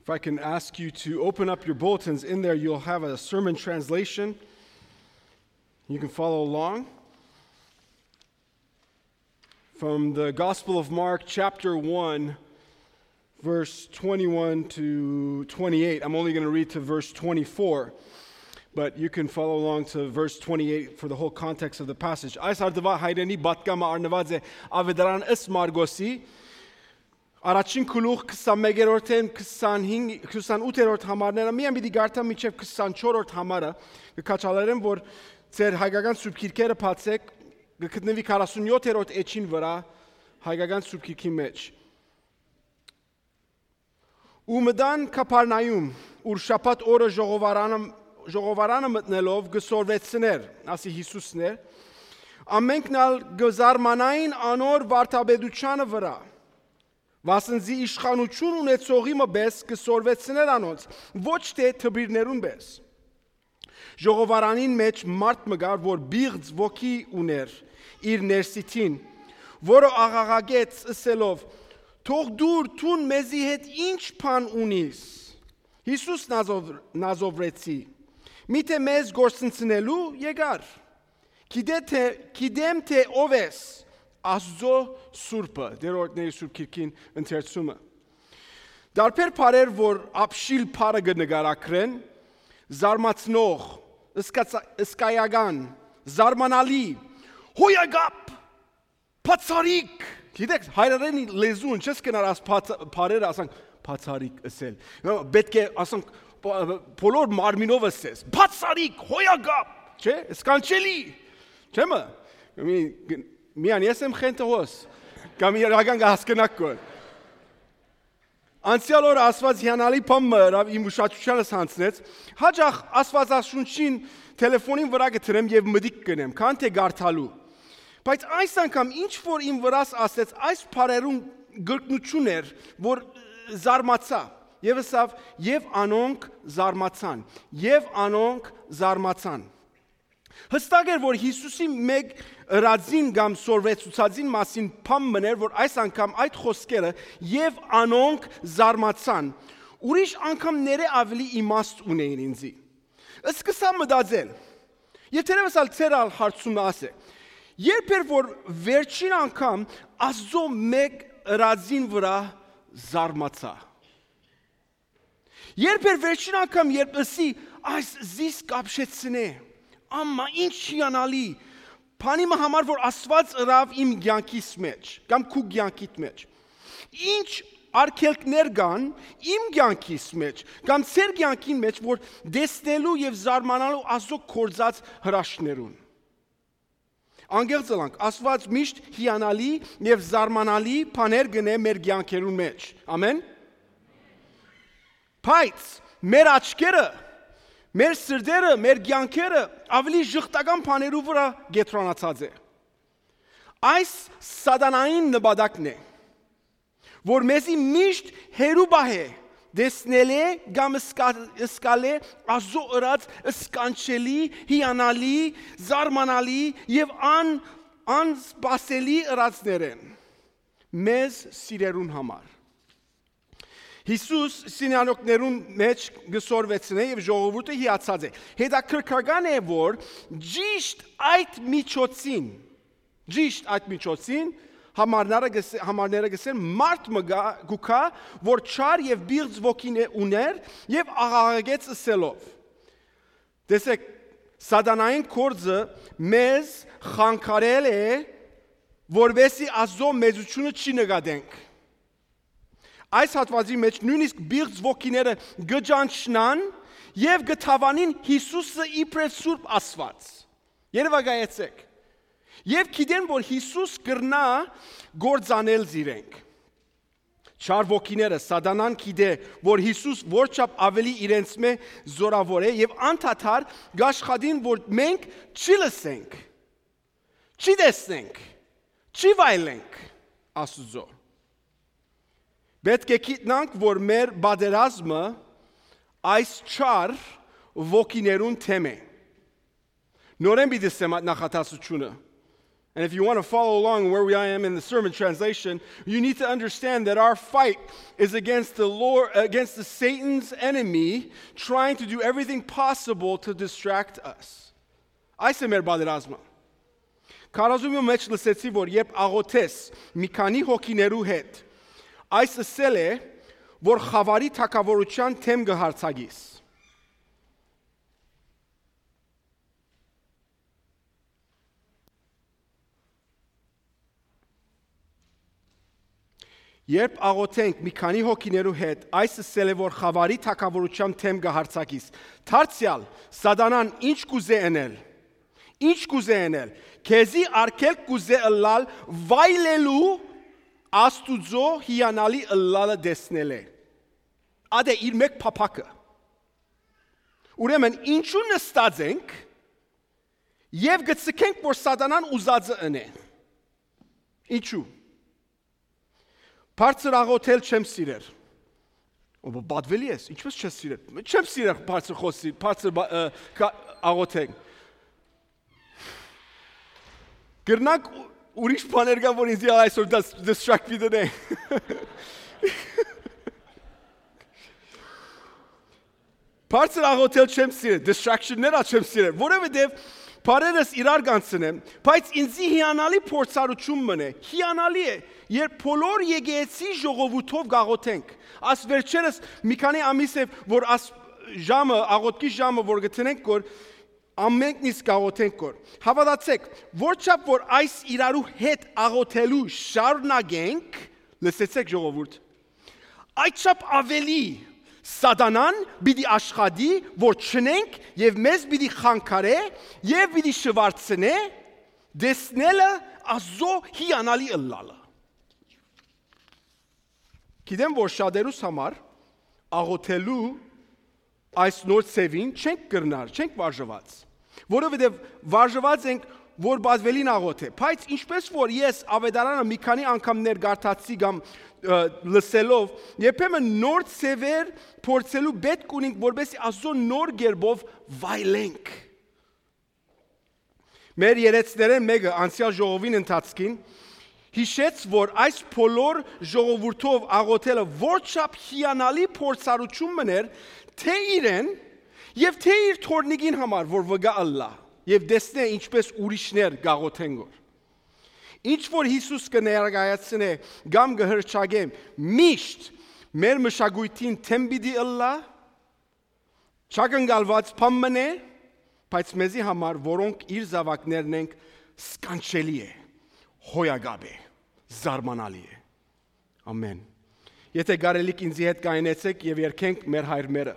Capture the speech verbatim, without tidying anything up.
If I can ask you to open up your bulletins in there, you'll have a sermon translation. You can follow along from the Gospel of Mark, chapter one, verse twenty-one to twenty-eight. I'm only gonna read to verse twenty-four, but you can follow along to verse twenty-eight for the whole context of the passage. Այս հատուած հայրենի պատգամը առնուած է Աւետարան ըստ Մարկոսի, առաջին գլուխ քսանմեկերորդէն քսանհինգ, քսանութերորդ համարները, միայն պիտի կարդամ մինչեւ քսանչորսերորդ համարը, կը քաջալերեմ, որ ձեր հայկական սուրբ գիրքերը բացէք, կը գտնուի քառասունյոթերորդ էջին վրայ, հայկական սուրբ գիրքի մէջ։ Ու մտան Քափառնայում, ուր շաբաթ օրը ժողովարանը, ժողովարանը մտնելով կը սորվեցնէր, ասի Յիսուսն էր, ամենքն ալ կը զարմանային անոր վարդապետութեանը վրայ, վասն զի իշխանութիւն ունեցողի մը պէս կը սորվեցնէր անոնց, ոչ թէ դպիրներուն պէս։ Ժողովարանին մէջ մարդ մը կար, որ պիղծ ոգի ունէր իր ներսիդին, որը աղաղակեց ըսելով. «Թող դուր, դուն մեզի հետ ի՞նչ բան ունիս, Յիսուս Նազով-, Նազովրեցի, միթէ մեզ կորսնցնելու եկար։ Գիտե թէ, գիտեմ թէ ով ես, Աստուծոյ սուրբը», դերորդների սուրբ գիրքին ընթերցումը։ Դարբեր բառեր, որ ապշիլ բառը կը նկարագրեն, զարմացնող, սկացա-, սկայական, զարմանալի, հոյակապ, բացառիկ։ Գիտեք, հայրենի լեզուն չես կնար աս բաց-, բառերը ասանք բացառիկ ըսել։ Պէտք է ասանք, բոլոր մարմինով ըսես, բացառիկ, հոյակապ, չէ՞, սքանչելի, չէ՞ մը։ Մի, միան ես եմ խենթը հոս, կամ իրական կը հասկնաք կոր։ Անցեալ օրը Աստուած հիանալի բան մը ըրաւ, իմ ուշադրութիանս յանձնեց։ Հաճախ Աստուածաշունչին թելեֆոնին վրայ կը դնեմ եւ մտիկ կ'ընեմ, քան թէ կարդալու։ Բայց այս անգամ ինչ որ իմ վրաս ասեց, այս բառերուն կրկնութիւն էր, որ զարմացայ։ Եւ ըսաւ. «Եւ անոնք զարմացան, եւ անոնք զարմացան»։ Յստակ էր, որ Յիսուսի մէկ ըրածին կամ սորվեցուցածին մասին բան մըն էր, որ այս անգամ այդ խօսքերը «եւ անոնք զարմացան» ուրիշ անգամներէ աւելի իմաստ ունէին ինծի։ Սկսա մտածել, եւ թերեւս ալ ձեր ալ հարցումը աս է. երբ էր, որ վերջին անգամ Աստուծոյ մէկ ըրածին վրայ զարմացայ։ Երբ էր վերջին անգամ, երբ ըսի, այս զիս կապշեցնէ, ամա ինչ հիանալի բանի մը համար, որ Աստուած ըրաւ իմ կեանքիս մէջ, կամ քու կեանքիդ մէջ։ Ինչ արգելքներ կան իմ կեանքիս մէջ, կամ ձեր կեանքին մէջ, որ տեսնելու եւ զարմանալու Աստուծոյ գործած հրաշքներուն։ Անկեղծ ըլանք, Աստուած միշտ հիանալի եւ զարմանալի բաներ կ'ընէ մեր կեանքերուն մէջ։ Ամեն։ Բայց մեր աչքերը, մեր սրտերը, մեր կեանքերը աւելի ժխտական բաներու վրայ կեդրոնացած է։ Այս սատանային նպատակն է, որ մեզի միշտ հեռու պահէ տեսնելէ կամ սկա-, սկալէ Աստուծոյ ըրած սքանչելի, հիանալի, զարմանալի եւ ան-, անսպասելի ըրածներէն մեզ սիրելուն համար։ Յիսուս սինանոկներուն մէջ կը սորվեցնէ եւ ժողովուրդը հիացած է։ Հետաքրքրական է, որ ճիշտ այդ միջոցին, ճիշտ այդ միջոցին, համարները գս-, համարները գսեն, մարդ մը գա-, գուքա, որ չար եւ պիղծ ոգին է ուներ եւ աղաղակեց ըսելով. տեսեք, սատանային կորձը մեզ խանգարել է, որպեսզի Աստուծոյ մեծութիւնը չի նկատենք։ Այս հատվածի մէջ նոյնիսկ պիղծ ոգիները կը ճանչնան եւ կը դաւանին Յիսուսը իբրեւ Սուրբ Աստուած։ Երեւակայեցեք։ Եւ գիտեն, որ Յիսուս կրնայ գործանել զիրենք։ Չար ոգիները, սատանան գիտէ, որ Յիսուս որչափ աւելի իրենց մէ զօրաւոր է եւ անդադար կ'աշխատին, որ մենք չի լսենք, չի տեսնենք, չի վայելենք Աստուծոյ։ Պէտք է գիտնանք, որ մեր պատերազմը այս չար ոգիներուն դէմ է։ Նորէն պիտի ասեմ այդ նախադասությունը։ And if you want to follow along where we I am in the sermon translation, you need to understand that our fight is against the Lord, against the Satan's enemy, trying to do everything possible to distract us. Այս է մեր պատերազմը։ Քարոզումի մեջ լսեցի, որ երբ աղոթես մի քանի հոգիներու հետ, այս ըսել է, որ խավարի թագաւորութեան դէմ կը յարձակիս։ Երբ աղոթենք մի քանի հոգիներու հետ, այս ըսել է, որ խավարի թագաւորութեան դէմ կը յարձակիս։ Դարձեալ, Սատանան ինչ կուզէ ընել։ Ինչ կուզէ ընել։ Քեզի արգելք կուզէ ըլլալ վայելելու Աստուծոյ հիանալի ըլլալը տեսնելէ։ Ատե իր մէկ փափաքը։ Ուրեմն ինչու նստած ենք եւ գցկենք, որ Սատանան ուզածը ընէ։ Ինչու։ Բարձր աղոթել չեմ սիրեր։ Ո, պատվելի ես, ինչպես չես սիրեր։ Չեմ սիրեր բարձր խոսի, բարձր բա- ը, կա- աղոթել։ Կրնակ ուրիշ բաներ կան, որ ինձ այսօր դաս- distract պիտի դնե։ Բարձր աղոթել չեմ սիրեր, distraction-ներ ալ չեմ սիրեր, որովհետեւ բարերս իրար կանցնեմ, բայց ինձի հիանալի փորձառություն մնե, հիանալի է, երբ բոլոր եկեղեցի ժողովուրդով կաղոթենք։ Աս վերջերս մի քանի ամիս է, որ աս ժամը, աղոթքի ժամը, որ գտնենք, որ ամենքն իսկ աղոթենք, որ։ Հաւատացեք, որչափ որ այս իրարու հետ աղոթելու շարունակենք, լսեցեք ժողովուրդ, այդ չափ ավելի Սատանան պիտի աշխատի, որ չնենք եւ մեզ պիտի խանգարէ եւ պիտի շվարցնէ տեսնելը Աստուծոյ հիանալի ըլլալը։ Գիտեմ, որ շատերուս համար աղոթելու այս նոր ձևին չենք կրնար, չենք վարժված, որովհետեւ վարժված ենք, որ պատվելին աղոթ է։ Բայց ինչպես որ ես Աւետարանը մի քանի անգամներ կարդացի կամ, ը, լսելով, երբեմն նոր ձևեր փորձելու պէտք ունենք, որպեսզի Աստուծոյ նոր կերպով վայելենք։ Մեր երեցներէն մէկը անցեալ ժողովին ընթացքին յիշեց, որ այս բոլոր ժողովուրդով աղոթելը որչափ հիանալի փորձառություն մըն էր, թէ իրեն եւ թէ իր թոռնիկին համար, որ վկայ ըլլայ եւ տեսնէ, ինչպես ուրիշներ կաղոթեն գոր։ Ինչ որ Յիսուս կը ներկայացնէ կամ կը հրճակէ, միշտ մեր մշակոյթին դէմ պիտի ըլլայ, չակնկալուած բան մըն է, բայց մեզի համար, որոնք իր զաւակներն ենք, սքանչելի է, հոյակապ է, զարմանալի է։ Ամեն։ Եթե կարելիք ինձի հետ կայնեցեք եւ երգենք մեր հայր մերը։